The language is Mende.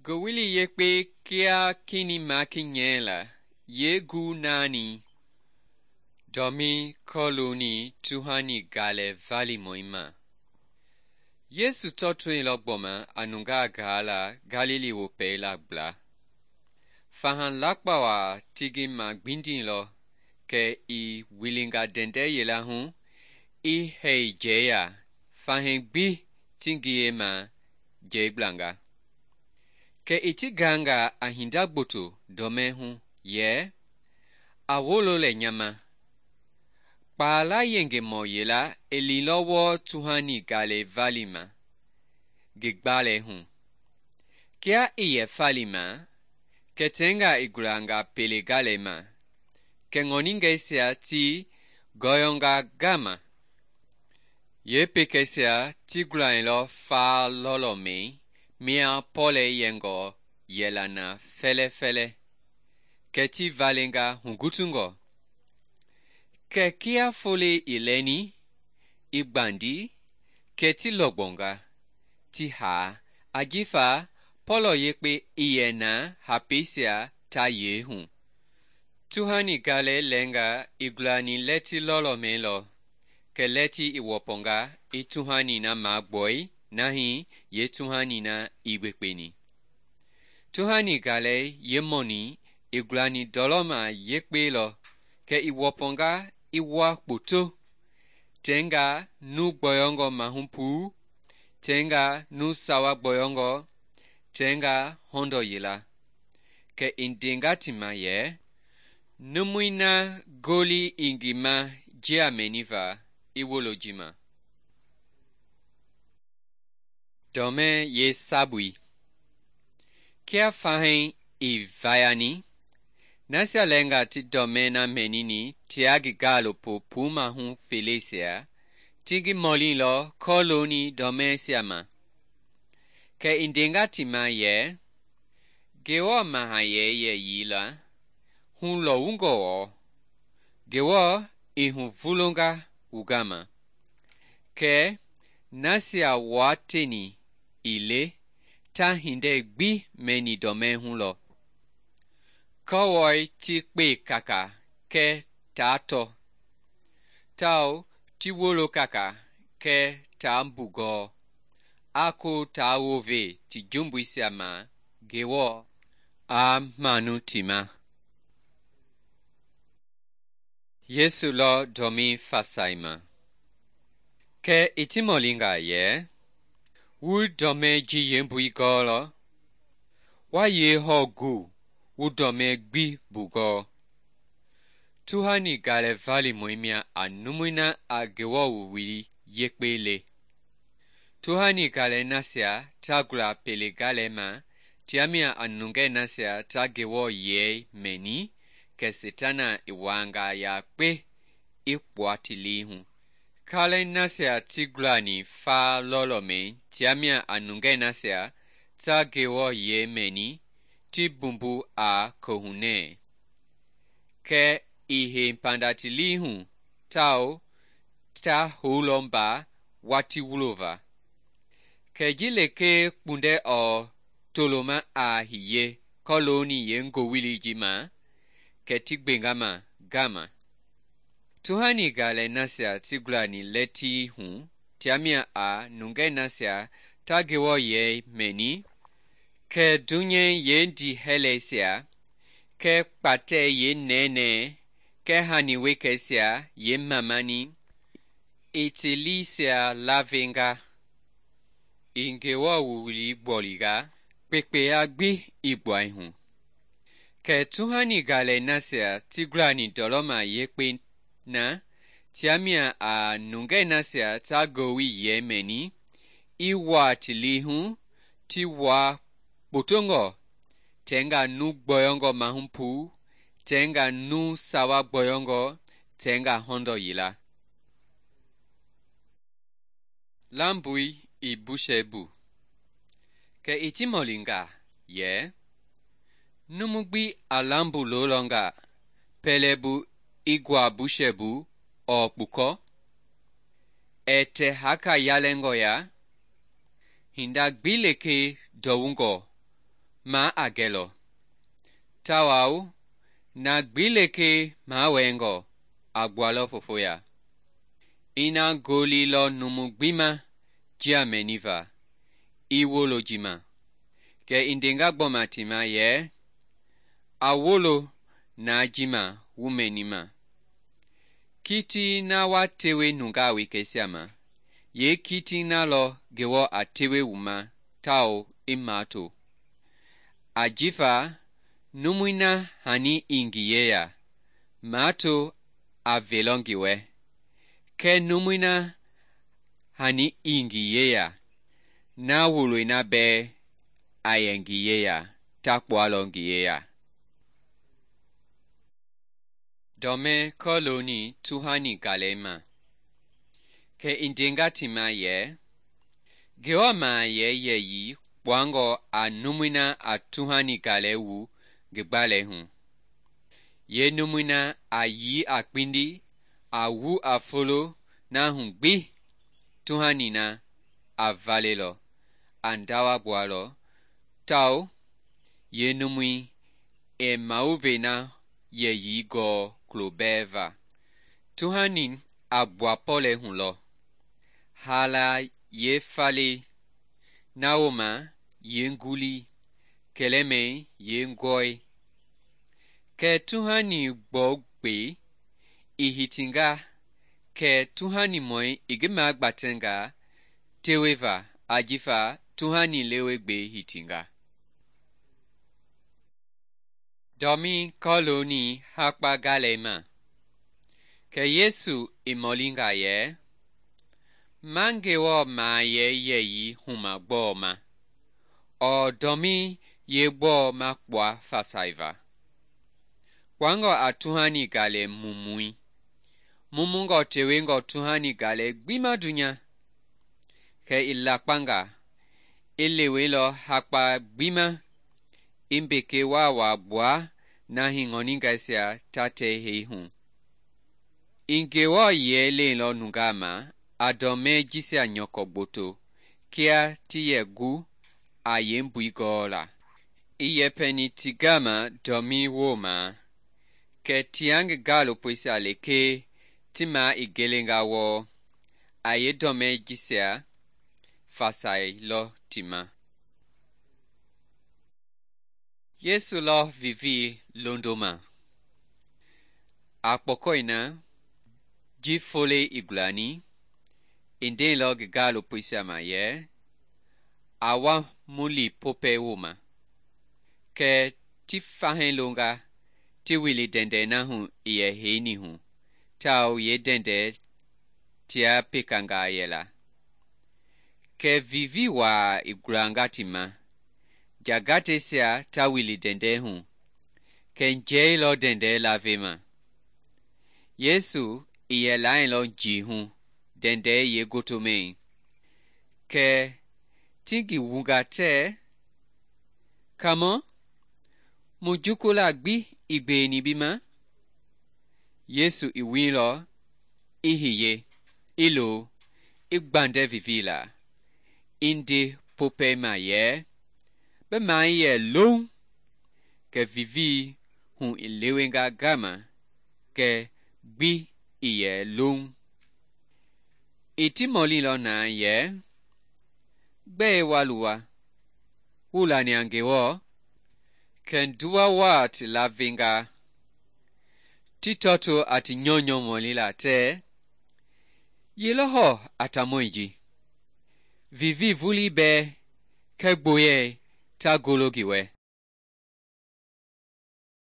Ngowili Yekpe kia kini maki nyɛla yeegu naani dɔmii kɔlooni tuhani galɛ valimɔi ma. Yesu tɔtoilɔ gbɔma a nungaa gaa la Galili wopɛi la gbla. Faha lakpa waa ti ngi magbindilɔ kɛ i wilinga ndɛndɛ yila hu i hei jɛɛya, fahii gbi ti ngiyema jɛɛgblanga. Kɛ i ti gaanga a hinda gboto dɔmɛi hu yɛ, a wolo lɛ nya ma. Kpaala yengemɔ yila i liilɔ wɔɔ tuhani galɛ valima ngi gbalɛi hu. Kia i yɛ falima, kɛ tɛnga i gulanga pele galɛi ma, kɛ ŋɔningɛisia ti gɔyɔnga gama. Yeepekɛisia ti gulailɔ faa lɔlɔmɛi mia pɔlɛi yɛngɔ yɛla na fɛlɛfɛlɛ, kɛ ti valenga hugutungɔ. Kɛ kia folei i lɛni, i gbandi, kɛ ti lɔgbɔnga, ti haa, ajifa pɔlɔ yekpe i yɛ na hapeisia ta yee hu. Tuhani galɛi lɛnga i gulani lɛti lɔlɔmɛi lɔ, kɛ lɛti i wɔpɔnga i tuhani na magbɔi nahi yeetuhani na i gbekpeni. Tuhani galɛi yeemɔni i gulani ndɔlɔma yekpe lɔ, kɛ i wɔpɔnga i wa kpoto, tɛnga nu gbɔyɔngɔ mahu puu, tɛnga nu sawa gbɔyɔngɔ, tɛnga hɔndɔ yila. Kɛ i ndenga ti ma yɛ, numui na goli i ngi ma jia mɛniva i wolo ji ma. Dɔmɛ yeesabui. Kia fahii i vayani, nasia lɛnga ti dɔmɛ na mɛnini tia ngi gaalopo pumahu feleisia, ti ngi mɔlilɔ kɔlooni dɔmɛisia ma. Kɛ i ndenga ti ma yɛ, Ngewɔ mahayɛi yɛyii la hulɔwungɔ wɔɔ, Ngewɔ i huvulonga wu gama. Kɛ nasia waa teni ii le ta hindei gbi mɛni dɔmɛi hu lɔ. Kɔwɔi ti kpe kaka kɛ taa tɔ, tao ti wolo kaka kɛ taa mbugɔɔ, a ko taa wove ti jumbuisia ma Ngewɔ a manu ti ma. Yesu lɔ dɔmii fasai ma. Kɛ i ti mɔlinga yɛ, wu dɔmɛ ji yeembui gɔɔlɔ? Wa yee hɔɔ gu wu dɔmɛ gbi bugɔɔ? Tuhani galɛ valimɔi mia a numui na a Ngewɔ wuwili yekpe le. Tuhani galɛ nasia ta gula pele galɛi ma, tia mia a nungɛ nasia ta Ngewɔ yɛi mɛni, kɛ Setana i wanga yakpe i kpua ti lii hu. Kalɛi nasia ti gulani faa lɔlɔmɛi tia mia a nungɛ nasia ta Ngewɔ yɛi mɛni, ti bumbu a kohunɛ. Kɛ i hei panda ti lii hu, tao ta houlɔ mba wati wulova. Kɛ ji lekee kpundɛ ɔɔ toloma a hiye kɔlooni yeengowili ji ma, kɛ ti gbenga ma gama. Tuhani galɛ nasia ti gulani lɛtii hu tia mia a nungɛ nasia ta Ngewɔ yɛi mɛni, kɛ dunyɛ yeendihɛlɛisia, kɛ kpatɛ yeenɛɛnɛɛ, kɛ hani wekɛisia yeemamani, i ti liisia lavenga, i Ngewɔ wuwili gbɔlinga, kpekpeya gbi i gbuai hu. Kɛ tuhani galɛ nasia ti gulani ndɔlɔma yekpe na, tia mia a nungɛ nasia ta ngowi yɛi mɛni, i waa ti lii hu, ti waa kpotongɔ, tɛnga nu gbɔyɔngɔ mahu puu, tɛnga nu sawa gbɔyɔngɔ, tɛnga hɔndɔ yila. Lambui i bushɛi bu. Kɛ i ti mɔlinga yɛ, numu gbi a lambu lolɔnga, pɛlɛbu i gua bushɛ bu ɔɔ kpukɔ? Ɛ tɛ haka yalɛngɔ ya? Hinda gbi lekee dɔwungɔ ma a gɛlɔ tawao na gbi lekee mawɛɛngɔ a gbualɔ fofoya. Ina golilɔ numu gbi ma jia mɛniva i wolo ji ma. Kɛ i ndenga gbɔma ti ma yɛ, a wolo na ji ma wu mɛnima. Kiti na wa tewe nungaa wekeisia ma, yeekiti na lɔ Ngewɔ a tewe wu ma tawao i mato. Ajifa numui na hani i ngi yeya, mato a velɔ ngi wɛ, kɛɛ numui na hani i ngi yeya, na woloi na bɛɛ a yɛ ngi yeya, ta kpualɔ ngi yeya. Dɔmɛ kɔlooni tuhani galɛi ma. Kɛ i ndenga ti ma yɛ, Ngewɔ mahayɛi yɛyii kpuangɔ a numui na a tuhani galɛi wu ngi gbalɛi hu. Yeenumui na a yii a kpindi a wu a folo na hu gbi tuhani na a valelɔ a ndawa gbualɔ tawao yeenumui i mawuvei na yɛyii gɔɔ kulo bɛɛ va. Tuhani a gbua pɔlɛi hu lɔ, haala yeefalei, na wooma yeengulii, kɛlɛmɛi yeengɔi. Kɛɛ tuhani gbɔugbei i hitinga kɛ tuhanimɔi i ngi magbatɛnga teweva ajifa tuhani lewegbei hitinga. Dɔmi kɔlooni hakpa galɛi ma. Kɛ Yesu i mɔlinga yɛ, ma Ngewɔ mahayɛi yɛyii huma gbɔɔ ma? Ɔɔ dɔmi yeegbɔɔ ma kpua fasaiva? Kpuangɔ a tuhani galɛ mumui, mumungɔ tewengɔ tuhani galɛ gbi ma dunya. Kɛ i lakpanga, i leweilɔ hakpa gbi ma, i mbeke waawaa gbua na hii ŋɔningaisia ta tɛi hei hu. I Ngewɔ yɛi leilɔ nungaa ma a dɔmɛi jisia nyɔkɔ gboto kia ti yɛ gu a yeembui gɔɔla. I yɛpɛni ti gama dɔmi wooma, kɛ tia ngi gaalopoisia lekee ti ma i gelenga wɔɔ, a yeedɔmɛi jisia fasailɔ ti ma. Yesu lɔ vivii londoma. A kpɔkɔi na, ji folei i gulani, i ndeilɔ ngi gaalopoisia ma yɛ, a wa mu li popɛi wooma. Kɛ ti fahɛi longa ti wili dɛndɛi na hu i yɛ heini hu, tawao yeedɛndɛi tia pekangaa yɛla. Kɛ vivii waa i gulanga ti ma, jagateisia ta wili dɛndɛi hu, kɛ njɛi lɔ dɛndɛi lavema. Yesu i yɛ lailɔ njii hu dɛndɛi yeegotomɛi. Kɛ ti ngi wunga tɛɛ, Kaamɔ, mu jukulaa gbi i gbeeni bi ma? Yesu i wiilɔ, i hiye, i lo, i gbandɛ vivii la, i nde popɛi ma yɛ, bi mai yɛ loŋ. Kɛ vivii hu i lewenga gama, kɛ gbi i yɛ loŋ. I ti mɔlilɔ na yɛ, gbɛe wa luwa? Wu lani a Ngewɔ? Kɛ nduwa waa ti lavenga. Ti tɔto a ti nyɔnyɔ mɔlila tɛɛ, ye lɔ hɔ a tamɔi ji? Vivii vulii bɛɛ kɛ gboyɛi ta golo ngi wɛ.